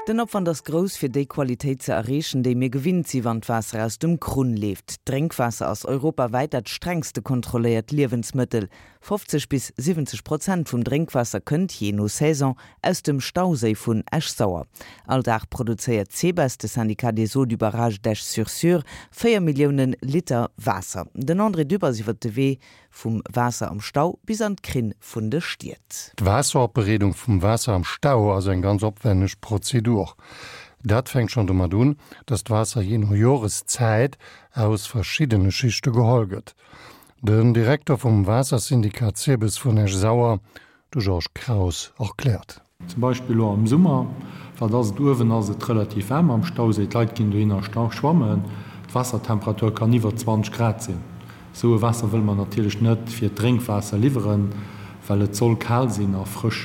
Den Opwand ass grouss, fir déi Qualitéit ze erreechen, déi mir gewinnt si wann d'Waasser aus dem Krunn leeft. D'Drénkwaasser ass europawäit dat strengste kontrolléiert Liewensmëttel. 50 bis 70 Prozent vum Drénkwaasser kënnt, jee no Saison, aus dem Stauséi vun Esch-Sauer. All Dag produzéiert d'SEBES, de Syndicat des eaux du barrage d'Esch-sur-Sûre, 4 Milliounen Liter Waasser. Den André Dübbers iwwer de Wee Vum Waasser am Stau bis an d'Krinn vun de Stied. D'Waasseropbereedung vum Waasser am Stau ass eng ganz opwenneg Prozedur. Dat fänkt schonn domat un, dass d'Waasser jee no Joreszäit aus verschiddene Schichte geholl gëtt. Den Direkter vum Waassersyndikat SEBES vun Esch-Sauer, De Georges Kraus erkläert. Zum Beispill elo am Summer, wat ass et, uewen ass et relativ waarm am Stauséi, d'Leit ginn dohinner schwammen, d'Waassertemperatur kann iwwer 20 Grad sinn. Esou e Waasser wëlle mer natierlech net fir d'Drénkwaasser liwweren, well et soll kal sinn a frësch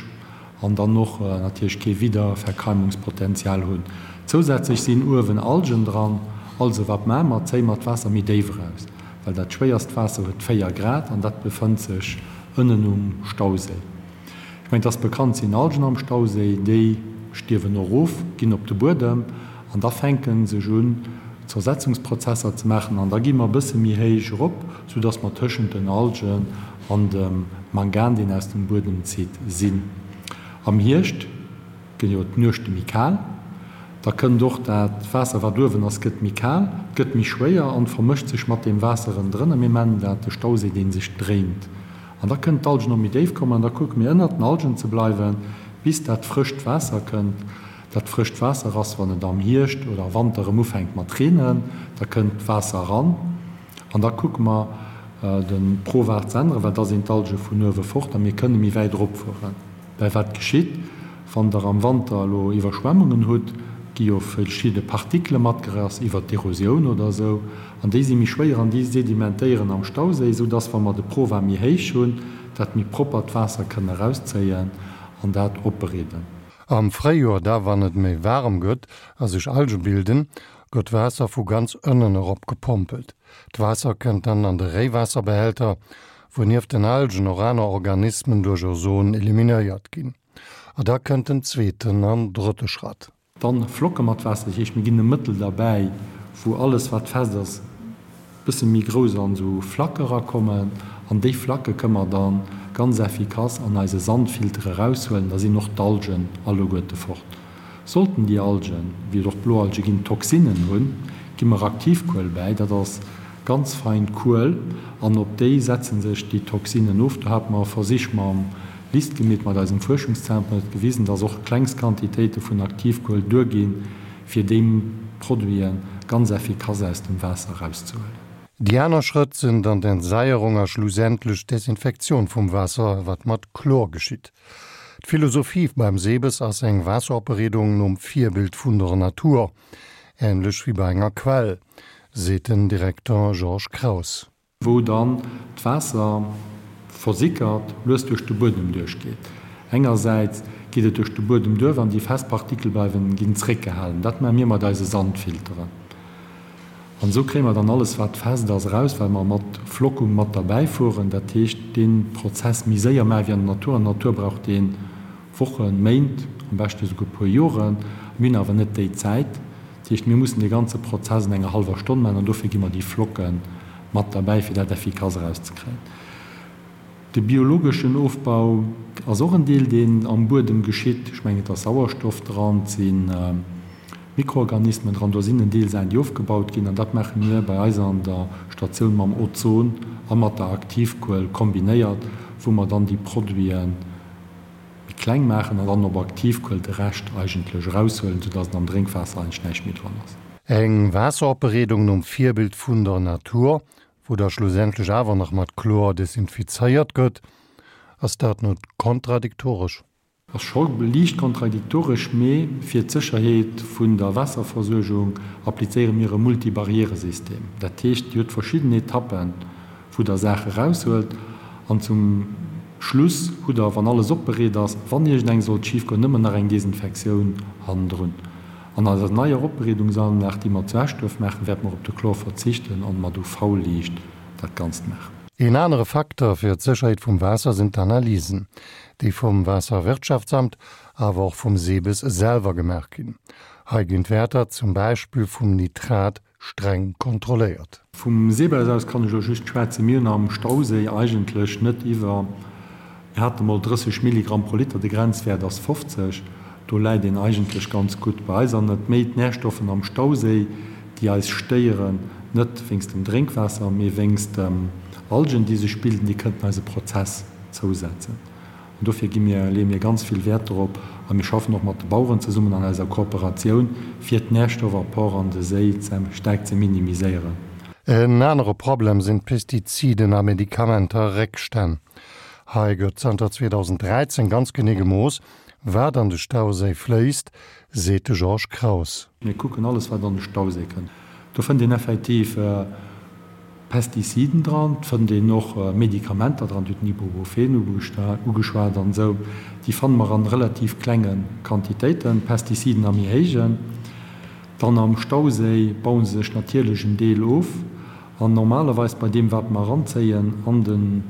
an dann och natierlech kee Wiederverkeimungspotenzial hunn. Zousätzlech sinn uewen Algen dran, also wat maache mer, zéie mer d'Waasser méi déif eraus, well dat schwéierst Waasser huet 4 Grad an dat befënnt sech Ënnen um Stauséi. Ech mengen, et ass bekannt, sinn Algen am Stauséi, déi stierwen och of, ginn op de Buedem an da fänke sech un Zersetzungsprozesser ze maachen an da gi mer e bësse méi héich erop, soudass mer tëschent den Algen an dem Mangan, deen aus dem Buedem zitt, sinn. Am Hierscht ginn jo d'Nuechte méi kal, da kënnt och dat Waasser, wat uewen ass, gëtt méi kal, et gëtt méi schwéier an vermëscht sech mat deem Waasser ënnendrënner. Mir nennen dat de Stauséi, dee sech dréint. An da kënnen d'Algen och méi déif kommen an da kucke mir ënnert den Algen ze bleiwen, bis dat frëscht Waasser kënnt. Dat frëscht Waasser ass, wann et am Hierscht oder Wanter erëm ufänkt mat reenen, da kënnt d'Waasser eran an da kucke mer de Provar ze änneren, well da sinn d'Alge vun uewe fort a mir kënne méi wäit eropfueren. Well wat geschitt, wann Der am Wanter elo Iwwerschwemmungen hutt, gi jo verschidde Partikele matgerass iwwert d'Erosioun oder esou, an déi si méi schwéier an déi sedimentéieren am Stauséi, soudass, wa mer de Prova méi héich hunn, dat méi proppert Waasser kënnen erauszéien an dat opbereeden. Am Fréijoer da, wann et méi waarem gëtt a sech Alge bilden, gëtt d'Waasser vu ganz ënnen erop gepompelt. D'Waasser kënnt dann an de Réiwaasserbehälter, wou nieft den Algen och aner Organismen duerch Ozon eliminéiert ginn. A da kënnt den zweeten an drëtte Schratt. Dann flocke mer d'Waasser, dat heescht mir ginn e Mëttel derbäi, wou alles wat fest ass bësse méi grouss an esou Flacke erakommen. An déi Flacke kënne mer dann ganz effikass an eise Sandfilter eraushuelen. Da sinn och d'Algen alleguerte fort. Sollten déi Algen, wéi et och Bloalge ginn, Toxinen hunn, gi mer Aktivkuel bäi. Dat ass ganz fein Kuel an op déi setze sech déi Toxinen of. Do hate mer Versich mam LIST gemeet, mat eisem Fuerschungszentrum, huet gewisen, dass och klengst Quantitéite vun Aktivkuel duerginn, fir déi Produite ganz effikass aus dem Waasser erauszehuelen. Déi aner Schrëtt sinn dann d'Entsaierung a schlussendlech d'Desinfektioun vum Waasser, wat mat Chlor geschitt. D'Philosophie beim SEBES ass eng Waasseropbereedung nom Virbild vun der Natur, änlech wéi bei enger Quell, seet den Direkter Georges Kraus. Wou dann d'Waasser versickert, lues duerch de Buedem duerchgeet. Engersäits geet et duerch de Buedem duerch an déi fest Partikel bleiwen, ginn zréckgehalen. Dat maache mir mat eise Sandfilteren. An esou kréie mer dann alles wat fest ass eraus, well mer mat Flockung mat derbäi fueren. Dat heescht, dee Prozess méi séier maache wéi an der Natur. An der Natur brauch dee Wochen, Méint, am beschte esouguer e puer Joren. Mir hunn awer net déi Zäit. Dat heescht, mir mussen dee ganze Prozess an enger hallwer Stonn maachen an dofir gi mer déi Flocke mat derbäi, fir dat effikass erauszekréien. De biologeschen Ofbau ass och en Deel, deen am Buedem geschitt. Ech mengen, et ass Sauerstoff dran, et si Mikroorganismen dran. Do sinn en Deel Saachen, déi ofgebaut ginn. An dat maache mir bei eis an der Statioun mam Ozon a mat der Aktivkuel kombinéiert, wou mer dann déi Produite méi kleng maachen an dann op Aktivkuel de Rescht eigentlech eraushuelen, soudass et am Drénkwaasser eigentlech näischt méi dran ass. Eng Waasseropbereedung nom Virbild vun der Natur, wou da schlussendlech awer nach mat Chlor desinfizéiert gëtt, ass dat net kontradiktoresch? Ass scho liicht kontradiktoresch, mee fir d'Sécherheet vun der Waasserversuergung applizéiere mir e Multibarrièresystem. Dat heescht, Dir hutt verschidden Etappen, wou Der Saache eraushuelt an zum Schluss hutt Der, wann alles opbereet ass, wann iergendeng sollt schifgoen, nëmmen nach eng Desinfektioun hannendrun. An eiser neier Opbereedungsanlag, déi mer zu Eschduerf maachen, wäerte mer op de Chlor verzichten an mat UV-Liicht dat Ganzt maachen. Een anere Facteur fir d'Sécherheet vum Waasser sinn d'Analysen. déi vum Waasserwirtschaftsamt, awer och vum SEBES selwer gemaach ginn. Hei ginn d'Wäerter zum Beispill vum Nitrat streng kontrolléiert. Vum SEBES aus kann ech elo just schwätzen. Mir hunn am Stauséi eigentlech net iwwer, mir hate mol 30 Milligramm pro Liter, de Grenzwäert ass 50, do läit een eigentlech ganz gutt. Bei eis an et méi d'Närstoffen am Stauséi, déi eis stéieren, net wéinst dem Drénkwaasser, mee wéinst dem Algen, déi sech bilden, déi kënnten eise Prozess zousetzen. An dofir gi mir, leeë mir ganz vill Wäert dorop a mir schaffen och mat de Baueren zesummen an eiser Kooperatioun, fir d'Närstoffapport an de Séi staark ze minimiséieren. En anere Problem sinn d'Pestiziden a Medikamenter-Réckstänn. Hei gëtt zanter 2013 ganz genee gemooss, wat an de Stauséi fléisst, seet de Georges Kraus. Mir kucken alles, wat an de Stauséi kënnt. Do fënnt een effektiv Pestiziden dran, et fënnt een och Medikamenter dran, Dir hutt den Ibuprofen ugeschwat an esou, déi fanne mer an relativ klenge Quantitéiten, Pestiziden a méi héijen. Dann am Stauséi baue se sech natierlech en Deel of an normalerweis bei deem wat mer eranzéien an den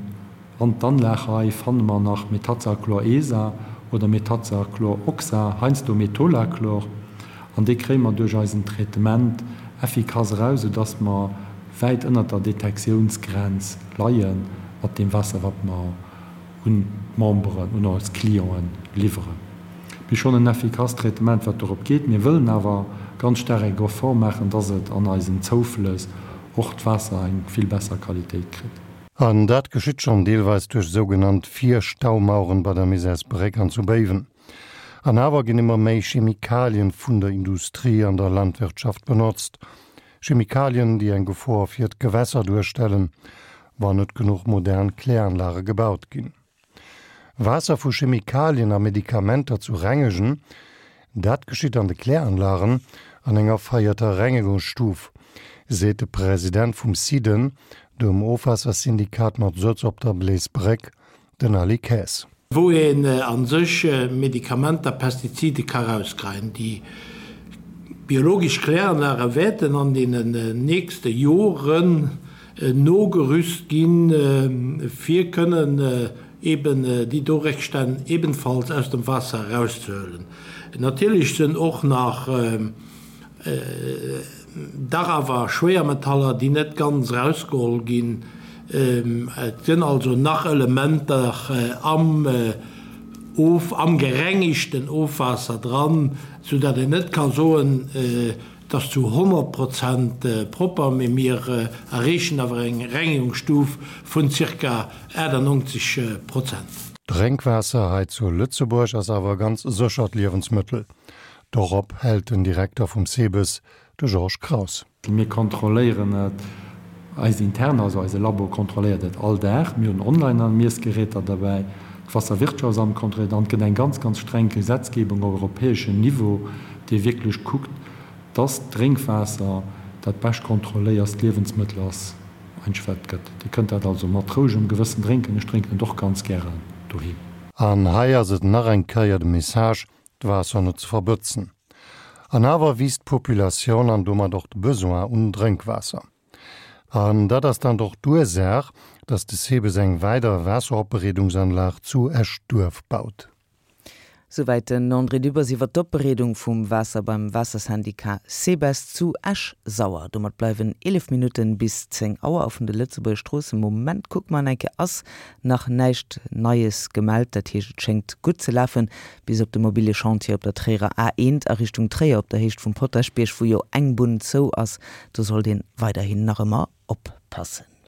An d'Anlag hei fanne mer nach Metazachlor-ESA oder Metazachlor-Oxa, heiansdo Metolachlor, an déi kréie mer duerch eisen Traitement effikass eraus, soudass mer wäit ënnert der Detektiounsgrenz leie mat deem Waasser, wat mer un d'Memberen, un eis Clienten liwweren. Mir hu schonn en effikasst Traitement, wat dorop geet. Mir wëllen awer ganz staark eng Effort maachen, dass et an eisen Zouflëss och d'Waasser eng vill besser Qualitéit kritt. An dat geschitt schonn deelweis duerch sougenannt Virstaumaueren bei der Misärsbréck an zu Béiwen. An awer ginn ëmmer méi Chemikalien vun der Industrie an der Landwirtschaft benotzt. Chemikalien, déi eng Gefor fir d'Gewässer duerstellen, wann net genuch modern Kläranlage gebaut ginn. Waasser vu Chemikalien a Medikamenter zu rengegen, dat geschitt an de Kläranlagen an enger veierter Rengegungsstuf, seet de President vum SIDEN, dem Ofwaassersyndikat mat Sëtz op der Bleesbréck, den Aly Kaes. Wou een a sech Medikamenter, Pestizide ka rauskreien. Déi biologesch Kläranlage wäerten an deenen nächste Joren nogerüst ginn, fir kënnen eben déi do Réckstänn ebenfalls aus dem Waasser erauszehuelen. Natierlech sënn och nach dach awer Schwéiermetaller, déi net ganz erausgeholl ginn. Et sënn also nach Elementer am Of, am gerengegten Ofwaasser dran, soudatt een net ka soen, Et ass zu 100 Prozent propper, mee mir erreechen awer eng Rengegungsstuf vun zirka 98 Prozent. Drénkwaasser hei zu Lëtzebuerg ass awer e ganz séchert Liewensmëttel. Dorop hält den Direkter vum SEBES, de Georges Kraus. Mir kontrolléieren et eis intern, also eise Labo kontrolléiert et all Dag. Mir hunn Online-Miessgeräter derbäi, d'Wasserwirtschaftsamt kontrolléiert an et gëtt eng ganz, ganz streng Gesetzgebung op europäeschem Niveau, dee wierklech kuckt, dass d'Drénkwaasser dat bescht kontrolléierst Liewensmëttel ass, eigentlech wat et gëtt. Dir kënnt dat also mat rouegem Gewëssen drénken. Ech drénken et och ganz gären doheem. An hei ass et nach eng Kéier de Message, d'Waasser net ze verbëtzen. An awer wiisst d'Populatioun an domat och de Besoin un Drénkwaasser. An dat ass dann och d'Ursaach, dass de SEBES eng weider Waasseropbereedungsanlag zu Eschduerf baut. Souwäit den André Dübbers iwwer d'Opbereedung vum Waasser beim Waassersyndicat SEBES zu Esch-Sauer. Domat bleiwen 11 Minutten bis 10 Auer a vun de Lëtzebuerger Stroossen, Moment, kucke mer enke, ass nach näischt Neies gemellt. Dat heescht, et schéngt gutt ze lafen, bis op de mobile Chantier op der Tréierer A1 a Richtung Tréier op der Héicht vum Potaschbierg, wou jo eng Bunn zou ass. Do sollt een weiderhin nach ëmmer oppassen.